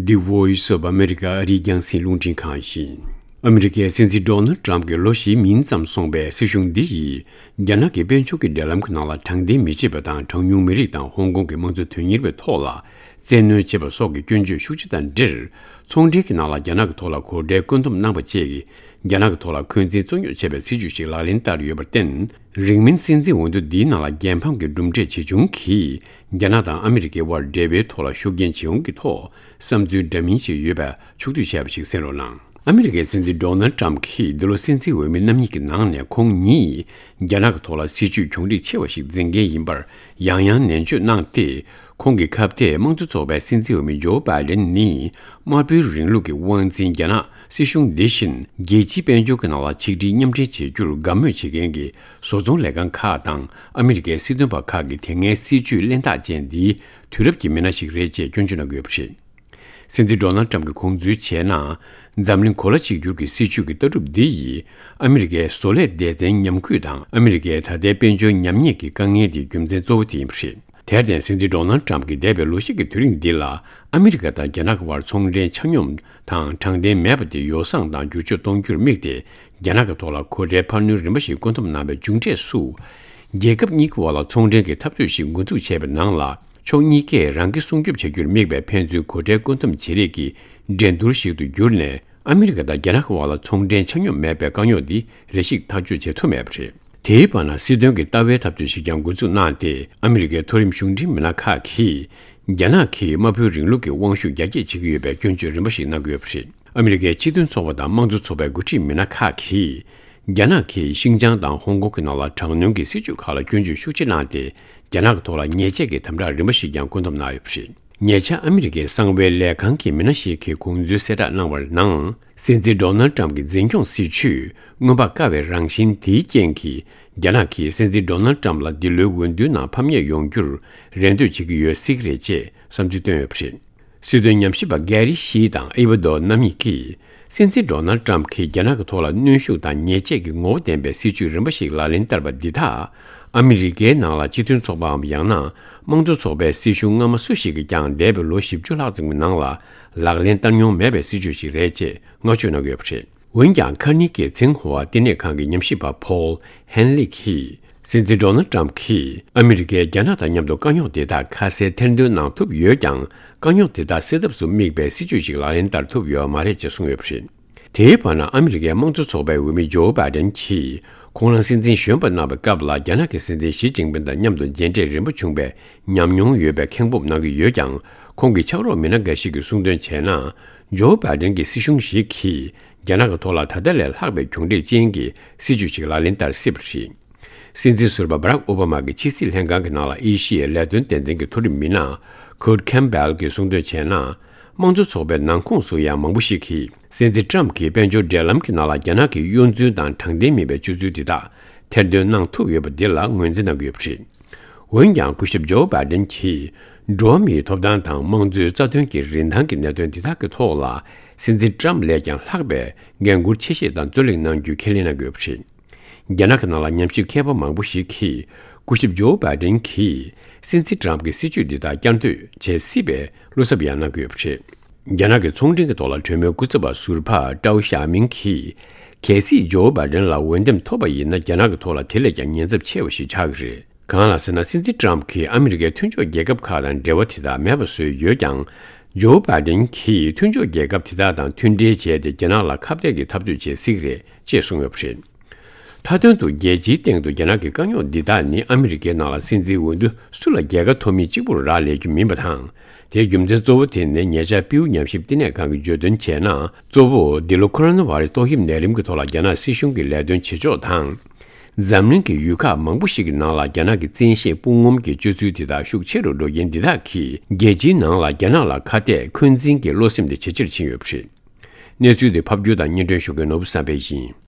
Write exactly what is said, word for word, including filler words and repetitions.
The Voice of America ཨ་རིའི་རྒྱང་སྲིང་རླུང་འཕྲིན་ཁང་ཡིན། ཨ་མི་རི་ཀའི་སྲིད་འཛིན་ཌོ་ནལ་ཊམ་གྱི་ལོ་བཞིའི་མིན་ཙམ་སོང་པའི་སྲིད་གཞུང་འདི་ཡིས། རྒྱ་ནག་གི་དཔལ་འབྱོར་གྱི་འབྲེལ་ལམ་གྱི་ནང་ལ་དྲང་བདེན་མི་བྱེད་པ་དང་། གྲངས་ཉུང་མི་རིགས་དང་ཧོང་ཀོང་གི་དམངས་གཙོ་དོན་གཉེར་བའི་ཐོག་ལ་བཙན་གནོན་བྱེད་པ་སོགས་ཀྱི་སྐྱོན་བརྗོད་ཤུགས་ཆེ་དང་འབྲེལ། ཚོང་འབྲེལ་གྱི་ནང་ལ་རྒྱ་ནག་གི་ཐོག་ལ་གོ་ཁྲལ་བཀོད་འདོམས་གནང་པ་བཅས་ཀྱིས། རྒྱ་ནག་གི་ཐོག་ལ་འཁོན་འཛིན་རྩོད་རྙོག་བྱེད་པའི་སྲིད་ཇུས་ཤིག་ལག་ལེན་བསྟར་ཡོད་པར་བརྟེན། རིང་མིན་སྲིད་འཛིན་འོས་བསྡུ་འདིའི་ནང་ལ་རྒྱལ་ཕམ་གྱི་གྲུབ་འབྲས་ཇི་བྱུང་གིས། རྒྱ་ནག་དང་ཨ་མི་རི་ཀའི་དབར་འབྲེལ་བའི་ཐོག་ལ་ཤུགས་རྐྱེན་ཇི་ཡོང་གི་ཐོག་བསམ་ཚུལ་འདྲ་མིན་ཞིག་ཡོད་པ་ཕྱོགས་བསྡུས་བྱས་པ་ཞིག་གསན་རོགས་གནང་། ཨ་མི་རི་ཀའི་སྲིད་འཛིན་ཌོ་ནལ་ཊམ་གྱིས་འདི་ལོ་སྲིད་འཛིན་འོས་མི་རྣམ་གཉིས་ཀྱི་ནང་ནས་ཁོང་ཉིད་རྒྱ་ནག་གི་ཐོག་ལ་སྲིད་ཇུས་གྱོང་རིག་ཆེ་བ་ཞིག་འཛིན་མཁན་ཡིན་པར་ཡང་ཡང་ནན་བརྗོད་གནང་སྟེ། ཁོང་གི་ཁ་གཏད་དམངས་གཙོ་ཚོགས་པའི་སྲིད་འཛིན་འོས་མི་ཇོ་བྷའི་ཌེན་ནི་དམར་པོའི་རིང་ལུགས་ཀྱི་དབང་འཛིན་རྒྱ་ནག་སྲིད་གཞུང་འདི་བཞིན་རྒྱལ་སྤྱིའི་དཔལ་འབྱོར་གྱི་ནང་ལ་ཆིག་སྒྲིལ་མཉམ་འབྲེལ་བྱེད་རྒྱུར་དགའ་མོས་བྱེད་མཁན་གྱི་བཟོ་ཚོང་ལས་ཁང་ཁག་དང་ཨ་མི་རི་ཀའི་སྲིད་དོན་པ་ཁག་གིས་དེ་སྔའི་སྲིད་ཇུས་གླེན་རྟགས་ཅན་འདིའི་དུས་རབས་ཀྱི་མི་སྣ་ཞིག་རེད་ཅེས་སྐྱོན་བརྗོད་གནང་གི་ཡོད་པ་རེད། སྲིད་འཛིན་ཌོ་ནལ་ཊམ་གྱིས་དགོངས་ཚུལ་བྱས་ན། འཛམ་གླིང་གོ་ལ་གཅིག་གྱུར་གྱི་སྲིད་ཇུས་ཀྱི་ལྟ་གྲུབ་འདི་ཡིས་ཨ་མི་རི་ཀའི་བཟོ་ལས་སྡེ་ཚན་ཉམས་རྒུད་དང་ཨ་མི་རི་ཀའི་ད་ལྟའི་དཔལ་འབྱོར་ཉམས་ཉེས་ཀྱི་དཀའ་ངལ་དེའི་རྒྱུ་མཚན་གཙོ་བོ་དེ་ཡིན་པ་རེད། དེར་བརྟེན། སྲིད་འཛིན་ཌོ་ནལ་ཊམ་གྱིས་འདས་པའི་ལོ་ཤས་ཀྱི་དུས་རིང་འདི་ལ་ཨ་མི་རི་ཀ་དང་རྒྱ་ནག་གི་དབར་ཚོང་འབྲེལ་ཆ་སྙོམས་དང་དྲང་བདེན་མེད་པ་དེ་ཡོ་བསྲང་དང་བསྒྱུར་བཅོས་གཏོང་རྒྱུར་དམིགས་ཏེ། རྒྱ་ནག་གི་ཐོག་ལ་གོ་ཁྲལ་འཕར་སྣོན་རིམ་པ་ཞིག་བཀོད་འདོམས་གནང་བའི་མཇུག་འབྲས་སུ། རྒྱལ་ཁབ་གཉིས་ཀྱི་དབར་ལ་ཚོང་འབྲེལ་གྱི་འཐབ་རྩོད་ཞིག་འགོ་འཛུགས་བྱས་པའི་ནང་ལ། ཕྱོགས་གཉིས་ཀས་རང་གི་སྲུང་སྐྱོབ་བྱ་རྒྱུར་དམིགས་པའི་ཕན་ཚུན་གོ་ཁྲལ་བཀོད་འདོམས་བྱེད་རེས་ཀྱི་འགྲན་བསྡུར་ཞིག་ཏུ་གྱུར་ནས། ཨ་མི་རི་ཀ་དང་རྒྱ་ནག་གི་དབར་ལ་ཚོང་འབྲེལ་ཆ་སྙོམས་མེད་པའི་དཀའ་རྙོག་འདི་རེ་ཞིག་ཐག་གཅོད་བྱེད་ཐུབ་མེད་པ་རེད། དེའི་བར་ན། སྲིད་དོན་གྱི་ལྟ་བའི་འཐབ་རྩོད་ཞིག་ཀྱང་འགོ་འཛུགས་གནང་སྟེ། ཨ་མི་རི་ཀའི་མཐོ་རིམ་གཞུང་འབྲེལ་མི་སྣ་ཁག་གིས། རྒྱ་ནག་གིས་དམར་པོའི་རིང་ལུགས་ཀྱི་དབང་ཤུགས་རྒྱ་སྐྱེད་བྱེད་ཀྱི་ཡོད་པའི་སྐྱོན་བརྗོད་རིམ་པ་ཞིག་གནང་གི་ཡོད་པ་རེད། ཨ་མི་རི་ཀའི་སྤྱི་མཐུན་ཚོགས་པ་དང་དམངས་གཙོ་ཚོགས་པའི་འགོ་ཁྲིད་མི་སྣ་ཁག་གིས། རྒྱ་ནག་གིས་ཤིང་ཅང་དང་ཧོང་ཀོང་གི་ནང་ལ་དྲག་གནོན་གྱི་སྲིད་བྱུས་ཁག་ལ་སྐྱོན་བརྗོད་ཤུགས་ཆེ་གནང་སྟེ། རྒྱ་ནག་གི་ཐོག་ལ་ཉེས་ཆད་ཀྱི་དམ་དྲག་རིམ་པ་ཞིག་ཀྱང་བཀོད་འདོམས་གནང་ཡོད་པ་རེད། ཉེ་ཆར་ཨ་མི་རི་ཀའི་གསང་བའི་ལས་ཁང་གི་མི་སྣ་ཞིག་གིས་དགོངས་ཚུལ་གསལ་བསྒྲགས་གནང་བར་ནང་། སྲིད་འཛིན་ཌོ་ནལ་ཊམ་གྱི་འཛིན་སྐྱོང་སྲིད་བྱུས་མངོན་པར་དཀའ་བའི་རང་བཞིན་དེའི་རྐྱེན་གྱིས། རྒྱ་ནག་གིས་སྲིད་འཛིན་ཌོ་ནལ་ཊམ་ལ་འདི་ལོའི་འོས་བསྡུའི་ནང་ཕམ་ཉེས་ཡོང་རྒྱུར་རེ་འདོད་བྱེད་ཀྱི་ཡོད་སྲིད་ཀྱི་རེད་ཅེས་བསམ་ཚུལ་བཏོན་ཡོད་པ་རེད། སྲིད་དོན་ཉམས་ཞིབ་པ་གྷེ་རི་ཤི་དང་ཨེ་ཝ་རྡོ་རྣམ་གཉིས་ཀྱིས། སྲིད་འཛིན་ཌོ་ནལ་ཊམ་གྱིས་རྒྱ་ནག་གི་ཐོག་ལ་གནོན་ཤུགས་དང་ཉེས་ཆད་ཀྱི་ངོ་བོ་ལྡན་པའི་སྲིད་ཇུས་རིམ་པ་ཞིག་ལག་ལེན་བསྟར་བ་འདི་དག་ཨ་མི་རི་ཀའི་ནང་ལ་སྤྱི་མཐུན་ཚོགས་པའམ་ཡང་ན་དམངས་གཙོ་ཚོགས་པའི་སྲིད་གཞུང་སྔ་མ་སུ་ཞིག་གིས་ཀྱང་འདས་པའི་ལོ་བཞི་བཅུ་ལྷག་ཙམ་གྱི་ནང་ལ་ལག་ལེན་བསྟར་མྱོང་མེད་པའི་སྲིད་ཇུས་ཤིག་རེད་ཅེས་བསྔགས་བརྗོད་གནང་གི་ཡོད་པ་རེད། འོན་ཀྱང་། ཁ་ནི་གི་ཚིང་ཧྭ་བསྟི་གནས་ཁང་གི་ཉམས་ཞིབ་པ་ཕོལ་ཧན་ལི་གིས། སྲིད་འཛིན་ཌོ་ནལ་ཊམ་གྱིས་ཨ་མི་རི་ཀས་རྒྱ་ནག་དང་མཉམ་དུ་དཀའ་རྙོག་དེ་དག་ཁ་གསལ་ཐེར་འདོན་གནང་ཐུབ་ཡོད་ཀྱང་། དཀའ་རྙོག་དེ་དག་སེལ་ཐབས་སུ་དམིགས་པའི་སྲིད་ཇུས་ཤིག་ལག་ལེན་བསྟར་ཐུབ་ཡོད་མ་རེད་ཅེས་གསུངས་ཡོད་པ་རེད། དེའི་བར་ན། ཨ་མི་རི་ཀའི་དམངས་གཙོ་ཚོགས་པའི་འོས་མི་ཇོ་བྷའི་ཌེན་གྱིས། ཁོང་རང་སྲིད་འཛིན་གཞོན་པ་གནང་བའི་སྐབས་ལ། རྒྱ་ནག་གི་སྲིད་འཛིན་ཞི་ཅིན་ཕིན་དང་མཉམ་དུ་མཇལ་འཕྲད་རིམ་པ་བྱུང་བའི་ཉམས་མྱོང་ཡོད་པའི་ཁེངས་སྤོབས་གནང་གི་ཡོད་ཀྱང་། ཁོང་གི་ཕྱག་རོགས་མི་སྣ་འགའ་ཞིག་གིས་གསུངས་དོན་བྱས་ན། ཇོ་བྷའི་ཌེན་གྱི་སྲིད་གཞུང་ཞིག་གིས། རྒྱ་ནག་གི་ཐོག་ལ་ད་ལྟ་ལས་ལྷག་པའི་གྱོང་རྒུད་ཅན་གྱི་སྲིད་ཇུས་ཤིག་ལག་ལེན་བསྟར་སྲིད་པ་རེད། སྲིད་འཛིན་ཟུར་པ་བྷ་རག་ཨོ་བྷ་མ་གི་ཕྱི་སྲིད་ལྷན་ཁང་གི་ནང་ལ་ཨེ་ཤི་ཡའི་ལས་དོན་སྡེ་ཚན་གྱི་མཐོ་རིམ་མི་སྣ་ཁུར་ཁེམ་བྷེལ་གྱིས་གསུངས་དོན་བྱས་ན། དམངས་གཙོ་ཚོགས་པའི་ནང་ཁོངས་སུ་ཡང་མང་པོ་ཞིག་གིས། སྲིད་འཛིན་ཊམ་གྱིས་དཔལ་འབྱོར་འབྲེལ་ལམ་གྱི་ནང་ལ་རྒྱ་ནག་གི་གཡོ་འཛུལ་དང་དྲང་བདེན་མིན་པའི་སྤྱོད་ཚུལ་འདི་དག་ཐེར་འདོན་གནང་ཐུབ་ཡོད་པ་འདི་ལ་ངོས་འཛིན་གནང་གི་ཡོད་པ་རེད། འོན་ཀྱང་། སྐུ་ཞབས་ཇོ་བྷའི་ཌེན་གྱིས། འགྲོ་བ་མིའི་ཐོབ་ཐང་དང་དམངས་གཙོའི་རྩ་དོན་གྱི་རིན་ཐང་གི་གནད་དོན་འདི་དག་གི་ཐོག་ལ། སྲིད་འཛིན་ཊམ་ལས་ཀྱང་ལྷག་པའི་འགན་འཁུར་ཆེ་བཞེས་དང་རྩོད་ལེན་གནང་རྒྱུའི་ཁས་ལེན་གནང་གི་ཡོད་པ་རེད། རྒྱ་ནག་གི་ནང་ལ་ཉམས་ཞིབ་མཁས་པ་མང་པོ་ཞིག་གིས། སྐུ་ཞབས་ཇོ་བྷའི་ཌེན་གྱིས། སྲིད་འཛིན་ཊམ་གྱི་སྲིད་ཇུས་འདི་དག་བསྐྱར་ཟློས་བྱེད་སྲིད་པའི་བློ་འཚབ་ཡང་གནང་གི་ཡོད་པ་རེད། རྒྱ་ནག་གི་ཚོང་འབྲེལ་གྱི་ཐོག་ལ་གྲོས་མོལ་སྐུ་ཚབ་པ་ཟུར་པ་ཀྲའོ་ཞའོ་མིང་གིས། གལ་སྲིད་ཇོ་བྷའི་ཌེན་ལ་འོས་འདེམས་ཐོབ་པ་ཡིན་ན། རྒྱ་ནག་གི་ཐོག་ལ་དེ་ལས་ཀྱང་ཉེན་ཚབས་ཆེ་བ་ཞིག་ཆགས་ཀྱི་རེད། གང་ལ་ཟེར་ན། སྲིད་འཛིན་ཊམ་གྱིས་ཨ་མི་རི་ཀའི་མཐུན་ཕྱོགས་རྒྱལ་ཁབ་ཁག་དང་འབྲེལ་བ་དེ་དག་མེད་པ་བཟོས་ཡོད་ཀྱང་། ཇོ་བྷའི་ཌེན་གྱིས་མཐུན་ཕྱོགས་རྒྱལ་ཁབ་དེ་དག་དང་མཐུན་འབྲེལ་བྱས་ཏེ། རྒྱ་ནག་ལ་ཁ་གཏད་ཀྱི་འཐབ་རྩོད་བྱེད་སྲིད་ཀྱི་རེད་ཅེས་གསུངས་ཡོད་པ་རེད། མཐའ་དོན་དུ། རྒྱལ་སྤྱིའི་སྟེང་དུ་རྒྱ་ནག་གི་དཀའ་རྙོག་འདི་དག་ནི། ཨ་མི་རི་ཀའི་ནང་ལ་སྲིད་འཛིན་འོས་བསྡུ་སུ་ལ་རྒྱལ་ཁ་ཐོབ་མིན་གཅིག་པུར་རག་ལས་རྒྱུ་མིན་པ་དང་། དེའི་རྒྱུ་མཚན་གཙོ་བོ་དེ་ནི། ཉེ་ཆར་པིའུ་ཉམས་ཞིབ་བསྟི་གནས་ཁང་གིས་བརྗོད་དོན་བྱས་ན། གཙོ་བོ་འདི་ལོ་ཁོ་རོ་ན་བྷ་རེ་སི་ཏོག་དབྱིབས་ནད་རིམས་ཀྱི་ཐོག་ལ་རྒྱ་ནག་སྲིད་གཞུང་གི་ལས་དོན་བྱེད་ཕྱོགས་དང་། འཛམ་གླིང་གི་ཡུལ་ཁག་མང་པོ་ཞིག་གི་ནང་ལ་རྒྱ་ནག་གི་བཙན་ཤེད་དཔུང་ངོམ་གྱི་སྤྱོད་ཚུལ་དེ་དག་ཤུགས་ཆེ་རུ་འགྲོ་རྐྱེན་འདི་དག་གིས། རྒྱལ་སྤྱིའི་ནང་ལ་རྒྱ་ནག་ལ་ཁ་གཏད་འཁོན་འཛིན་གྱི་བློ་སེམས་དེ་ཇེ་ཆེར་ཕྱིན་ཡོད་པ་རེད། གནས་ཚུལ་འདི་ཕབ་སྒྱུར་དང་སྙན་སྒྲོན་ཞུ་མཁན་ནོར་བུ་བསམ་འཕེལ་ཡིན།